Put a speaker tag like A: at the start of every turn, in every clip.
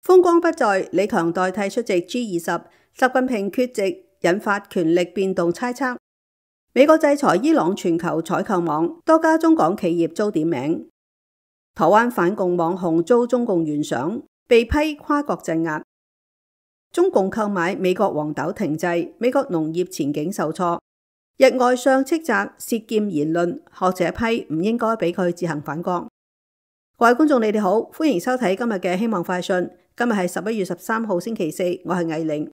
A: 風光不再，李強代替出席 G20，習近平缺席引發權力變動猜測。美國制裁伊朗全球採購網，多家中港企業遭點名。台灣反共網紅遭中共懸賞，被批跨國鎮壓。中共購買美國黃豆停滯，美國農業前景受挫。日外相斥責涉劍言論，學者批唔應該俾佢自行反國。各位觀眾，你哋好，歡迎收睇今日嘅希望快訊。今日係11月13號星期四，我係藝玲。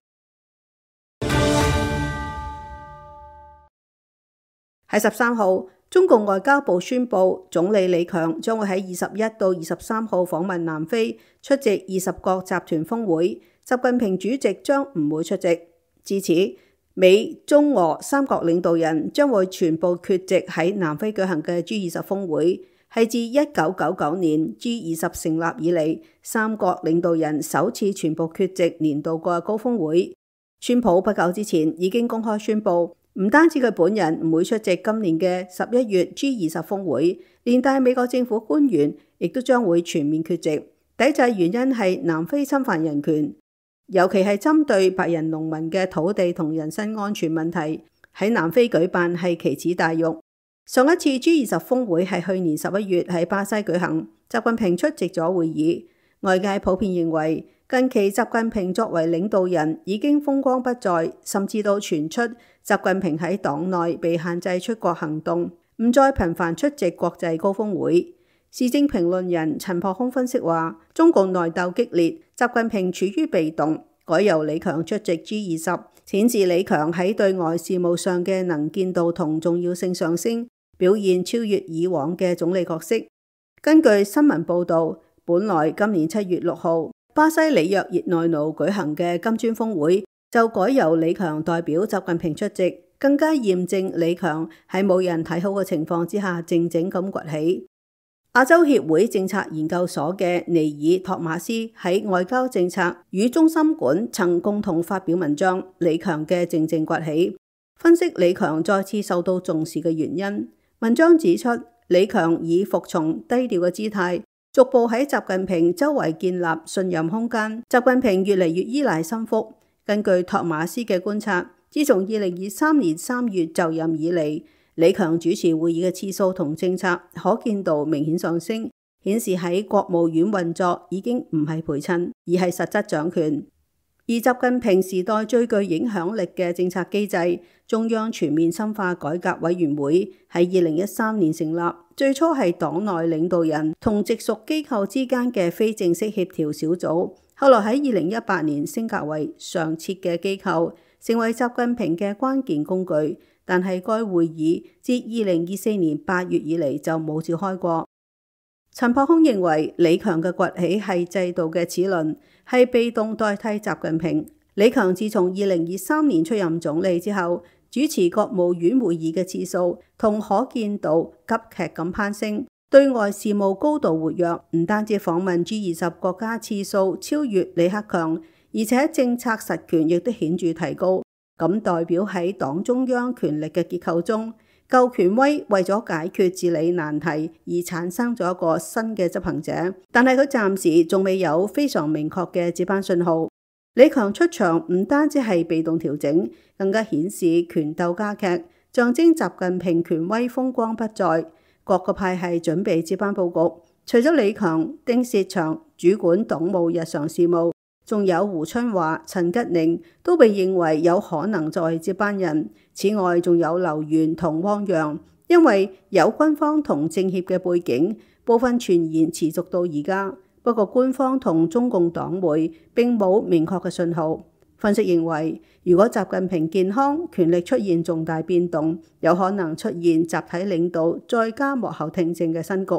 A: 喺13號，中共外交部宣布，總理李強將會喺21到23號訪問南非，出席20國集團峰會。習近平主席將唔會出席。至此，美、中、俄三國領導人將會全部缺席喺南非舉行嘅 G20 峰會。係自1999年 G20 成立以嚟，三國領導人首次全部缺席年度嘅高峰會。川普不久之前已經公開宣布，唔單止佢本人唔會出席今年嘅11月 G20 峰會，連帶美國政府官員亦都將會全面缺席。抵制原因係南非侵犯人權，尤其係針對白人農民嘅土地同人身安全問題。喺南非舉辦係奇恥大辱。上一次 G20 峰會係去年11月喺巴西舉行，習近平出席咗會議。外界普遍認為，近期習近平作為領導人已經風光不再，甚至到傳出習近平喺黨內被限制出國行動，唔再頻繁出席國際高峰會。時政評論人陳樸空分析話，中共內鬥激烈，習近平處於被動，改由李強出席 G20，顯示李強喺對外事務上嘅能見度同重要性上升，表現超越以往嘅總理角色。根據新聞報導，本來今年7月6號巴西里約熱內盧舉行嘅金磚峰會，就改由李強代表習近平出席，更加驗證李強喺冇人睇好嘅情況之下靜靜咁崛起。亞洲協會政策研究所嘅尼爾托馬斯喺外交政策與中心館曾共同發表文章《李強嘅靜靜崛起》，分析李強再次受到重視嘅原因。文章指出，李強以服從低調嘅姿態，逐步喺習近平周圍建立信任空間。習近平越嚟越依賴心腹。根據托馬斯嘅觀察，自從2023年3月就任以嚟，李強主持會議嘅次數同政策可見度明顯上升，顯示喺國務院運作已經唔係陪襯，而係實質掌權。而習近平時代最具影響力嘅政策機制中央全面深化改革委員會喺2013年成立，最初係黨內領導人同直屬機構之間嘅非正式協調小組，後來喺2018年升格為常設嘅機構，成為習近平嘅關鍵工具。但係該會議自2024年8月以嚟就冇召開過。陳樸空認為李強嘅崛起係制度嘅齒輪，係被動代替習近平。李強自從2023年出任總理之後，主持國務院會議嘅次數同可見度急劇咁攀升，對外事務高度活躍，唔單止訪問 G20 國家次數超越李克強，而且政策實權亦都顯著提高。咁代表喺黨中央權力嘅結構中，舊權威為咗解決治理難題而產生咗一個新嘅執行者，但係佢暫時仲未有非常明確嘅接班信號。李強出場唔單止係被動調整，更加顯示權鬥加劇，象徵習近平權威風光不再。各個派系準備接班佈局，除咗李強、丁薛祥主管黨務日常事務，仲有胡春華、陳吉寧都被認為有可能作為接班人。此外，仲有劉源同汪洋，因為有軍方同政協嘅背景，部分傳言持續到而家。不過官方同中共黨媒並冇明確嘅信號。分析認為，如果習近平健康，權力出現重大變動，有可能出現集體領導再加幕後聽政嘅新局。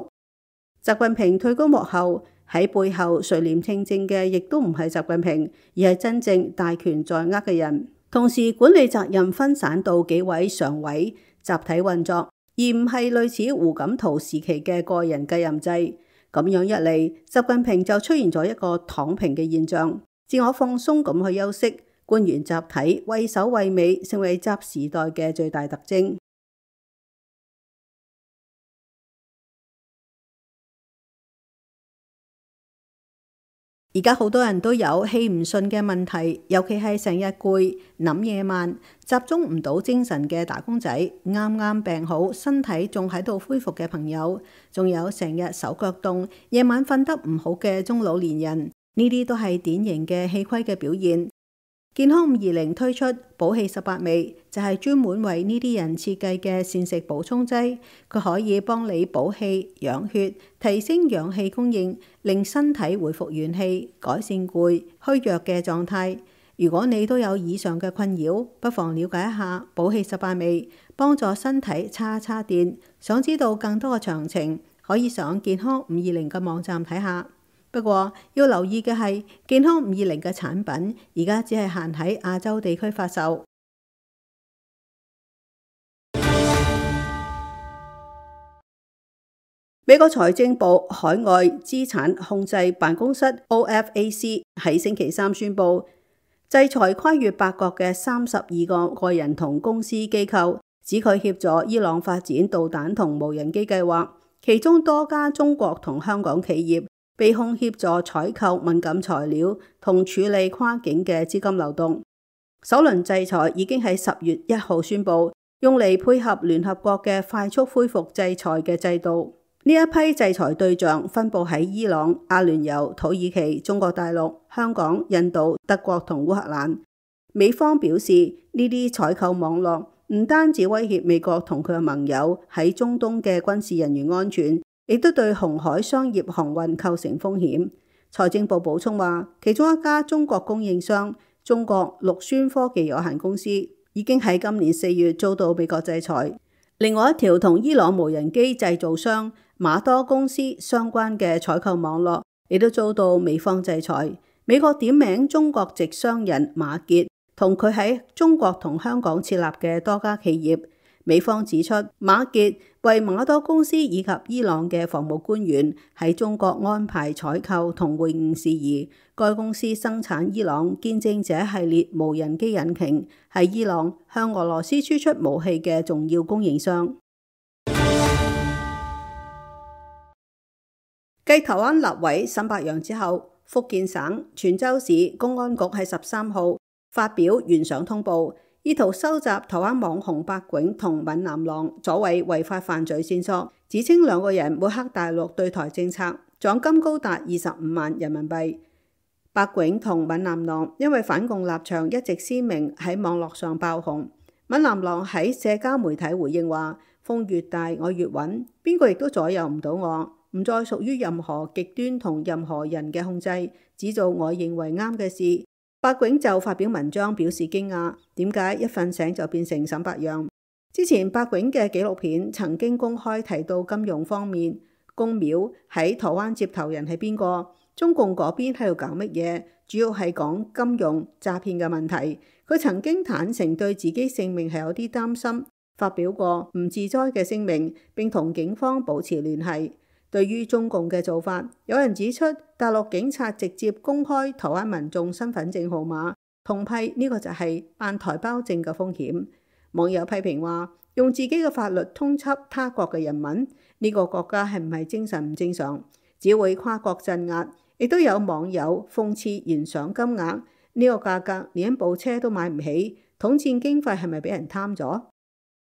A: 習近平退居幕後，喺背後垂簾聽政嘅亦都唔係習近平，而係真正大權在握嘅人。同時管理責任分散到幾位常委，集體運作，而唔係類似胡錦濤時期嘅個人繼任制。咁樣一嚟，習近平就出現咗一個躺平嘅現象，自我放鬆咁去休息，官員集體畏首畏尾，成為習時代嘅最大特徵。而家好多人都有氣唔順嘅問題，尤其係成日攰、諗嘢慢、集中唔到精神嘅打工仔，啱啱病好、身體仲喺度恢復嘅朋友，仲有成日手腳凍、夜晚瞓得唔好嘅中老年人，呢啲都係典型嘅氣虧嘅表現。健康520推出補氣18味，就係專門為呢啲人設計嘅膳食補充劑，佢可以幫你補氣、養血、提升氧氣供應，令身體恢復元氣，改善攰、虛弱嘅狀態。如果你都有以上嘅困擾，不妨了解一下補氣18味，幫助身體叉叉電。想知道更多嘅詳情，可以上健康520嘅網站睇下。不過要留意嘅係，健康520嘅產品而家只係限喺亞洲地區發售。美國財政部海外資產控制辦公室 OFAC 喺星期三宣布，制裁跨越8國嘅32個個人同公司機構，指佢協助伊朗發展導彈同無人機計劃，其中多家中國同香港企業被控協助採購敏感材料同處理跨境嘅資金流動。首輪制裁已經喺10月1號宣布，用嚟配合聯合國嘅快速恢復制裁嘅制度。呢一批制裁對象分佈喺伊朗、阿聯酋、土耳其、中國大陸、香港、印度、德國同烏克蘭。美方表示，呢啲採購網絡唔單止威脅美國同佢嘅盟友喺中東嘅軍事人員安全，亦都對紅海商業航運構成風險。財政部補充話，其中一家中國供應商中國陸宣科技有限公司已經喺今年4月遭到美國制裁。另外一條同伊朗無人機製造商馬多公司相關嘅採購網絡亦都遭到美方制裁。美國點名中國籍商人馬傑同佢喺中國同香港設立嘅多家企業。美方指出，馬傑為馬多公司以及伊朗嘅防務官員喺中國安排採購同會晤事宜。該公司生產伊朗見證者系列無人機引擎，係伊朗向俄羅斯輸出武器嘅重要供應商。繼台灣立委沈伯洋之後，福建省泉州市公安局喺13號發表懸賞通報，意圖收集台灣網紅百囧同閩南郎所謂違法犯罪線索，指稱兩個人抹黑大陸對台政策，獎金高達25萬人民幣。百囧同閩南郎因為反共立場一直鮮明，喺網絡上爆紅。閩南郎喺社交媒體回應話：風越大我越穩，邊個亦都左右唔到我，唔再屬於任何極端同任何人嘅控制，只做我認為啱嘅事。百囧就發表文章表示驚訝，點解一瞓醒就變成沈伯洋？之前百囧嘅紀錄片曾經公開提到金融方面，公廟喺台灣接頭人係邊個？中共嗰邊喺度搞乜嘢？主要係講金融詐騙嘅問題。佢曾經坦誠對自己性命係有啲擔心，發表過唔自災嘅聲明，並同警方保持聯繫。對於中共嘅做法，有人指出大陸警察直接公開台灣民眾身份證號碼，痛批呢個就係辦台胞證嘅風險。網友批評話，用自己嘅法律通緝他國嘅人民，呢個國家係唔係精神唔正常，只會跨國鎮壓。亦都有網友諷刺懸賞金額，呢個價格連一部車都買唔起，統戰經費係咪俾人貪咗？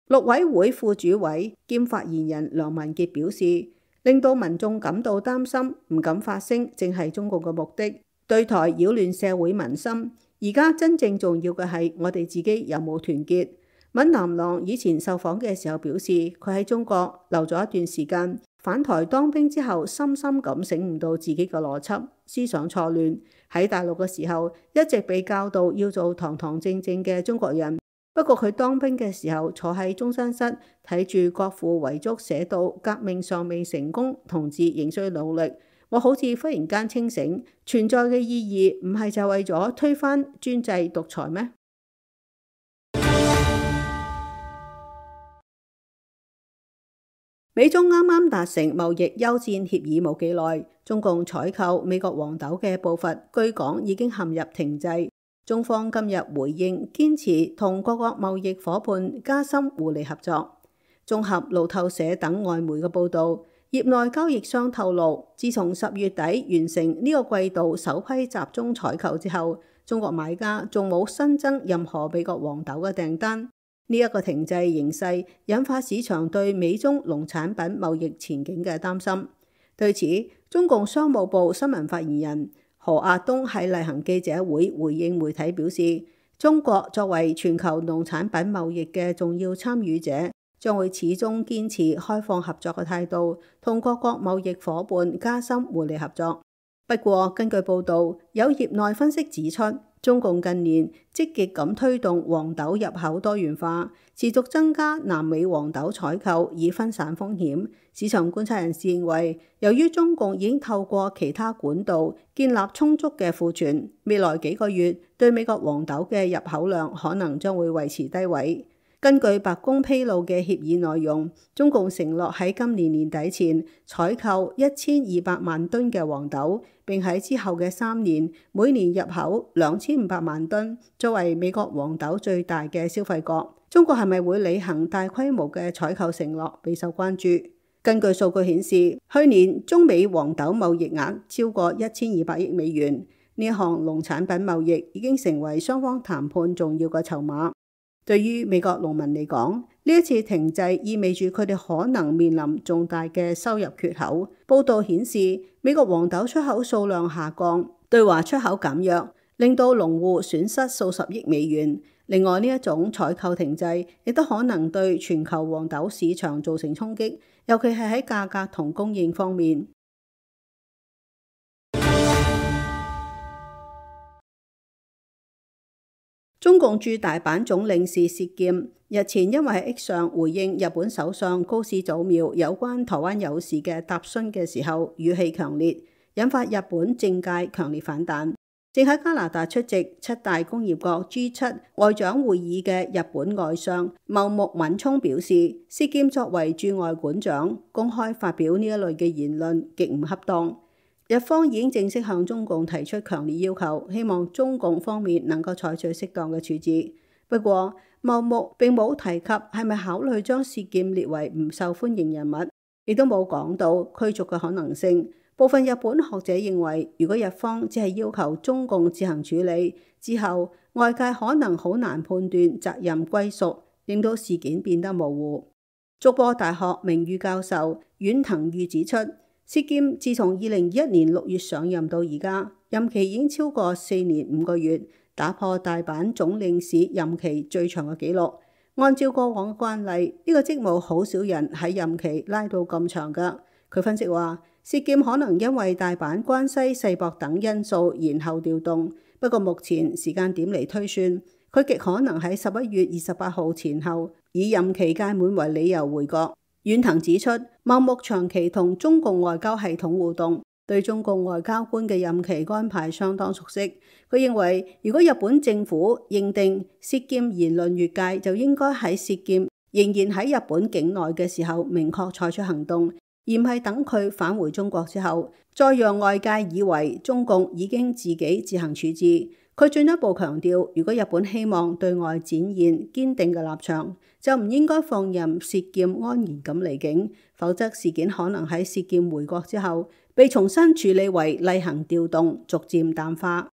A: 陸委會副主委兼發言人梁文傑表示，令到民眾感到擔心，唔敢發聲，正係中共嘅目的，對台擾亂社會民心。而家真正重要嘅係我哋自己有冇團結。閩南郎以前受訪嘅時候表示，佢喺中國留咗一段時間，返台當兵之後，深深咁醒悟到自己嘅邏輯，思想錯亂。喺大陸嘅時候，一直被教導要做堂堂正正嘅中國人。不過佢當兵嘅時候，坐喺中山室睇住國父遺囑寫到革命尚未成功，同志仍需努力。我好似忽然間清醒，存在嘅意義唔係就為咗推翻專制獨裁咩？美中啱啱達成貿易休戰協議冇幾耐，中共採購美國黃豆嘅步伐據講已經陷入停滯。中方今日回應，堅持同各國貿易夥伴加深互利合作。綜合路透社等外媒嘅報導，業內交易商透露，自從10月底完成呢個季度首批集中採購之後，中國買家仲冇新增任何美國黃豆嘅訂單。呢一個停滯形勢引發市場對美中農產品貿易前景嘅擔心。對此，中共商務部新聞發言人何亞東喺例行記者會回應媒體表示，中國作為全球農產品貿易嘅重要參與者，將會始終堅持開放合作嘅態度，同各國貿易夥伴加深互利合作。不過，根據報導，有業內分析指出，中共近年積極咁推動黃豆入口多元化，持續增加南美黃豆採購以分散風險。市場觀察人士認為，由於中共已經透過其他管道建立充足嘅庫存，未來幾個月對美國黃豆嘅入口量可能將會維持低位。根據白宮披露嘅協議內容，中共承諾喺今年年底前採購1200萬噸嘅黃豆，並喺之後嘅3年每年入口2500萬噸，作為美國黃豆最大嘅消費國。中國係咪會履行大規模嘅採購承諾，備受關注。根據數據顯示，去年中美黃豆貿易額超過1200億美元，呢一項農產品貿易已經成為雙方談判重要嘅籌碼。對於美國農民嚟講，呢一次停滯意味住佢哋可能面臨重大嘅收入缺口。報道顯示，美國黃豆出口數量下降，對華出口減弱，令到農戶損失數十億美元。另外，呢一種採購停滯亦都可能對全球黃豆市場造成衝擊，尤其係喺價格同供應方面。中共駐大阪總領事薛劍日前因為喺 X 上回應日本首相高市早苗有關台灣有事嘅答詢嘅時候語氣強烈，引發日本政界強烈反彈。正喺加拿大出席7大工業國 G7 外長會議嘅日本外相茂木敏充表示，薛劍作為駐外館長公開發表呢一類嘅言論極唔恰當。日方已經正式向中共提出強烈要求，希望中共方面能夠採取適當嘅處置。不過，茂木並冇提及係咪考慮將薛劍列為唔受歡迎人物，亦都冇講到驅逐嘅可能性。部分日本學者認為，如果日方只係要求中共自行處理，之後外界可能好難判斷責任歸屬，令到事件變得模糊。筑波大學名譽教授遠藤裕指出，薛劍自從2021年6月上任到而家，任期已經超過4年5個月，打破大阪總領事任期最長嘅紀錄。按照過往嘅慣例，呢個職務好少人喺任期拉到咁長㗎。佢分析話，薛劍可能因為大阪關西世博等因素延後調動，不過目前時間點嚟推算，佢極可能喺11月28號前後以任期屆滿為理由回國。遠藤指出，茂木長期同中共外交系統互動，對中共外交官嘅任期安排相當熟悉。佢認為，如果日本政府認定薛劍言論越界，就應該喺薛劍仍然喺日本境內嘅時候明確採取行動，而唔係等佢返回中國之後，再讓外界以為中共已經自己自行處置。佢進一步強調，如果日本希望對外展現堅定嘅立場，就唔應該放任薛劍安然咁離境，否則事件可能喺薛劍回國之後被重新處理為例行調動，逐漸淡化。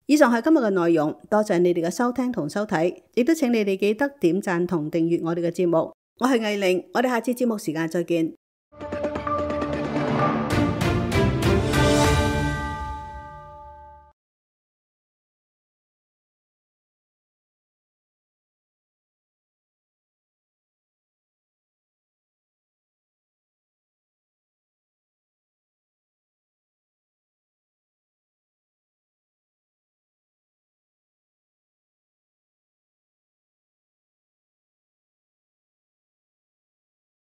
A: 以上係今日嘅內容，多謝你哋嘅收聽同收睇，亦都請你哋記得點讚同訂閱我哋嘅節目。我係藝玲，我哋下次節目時間再見。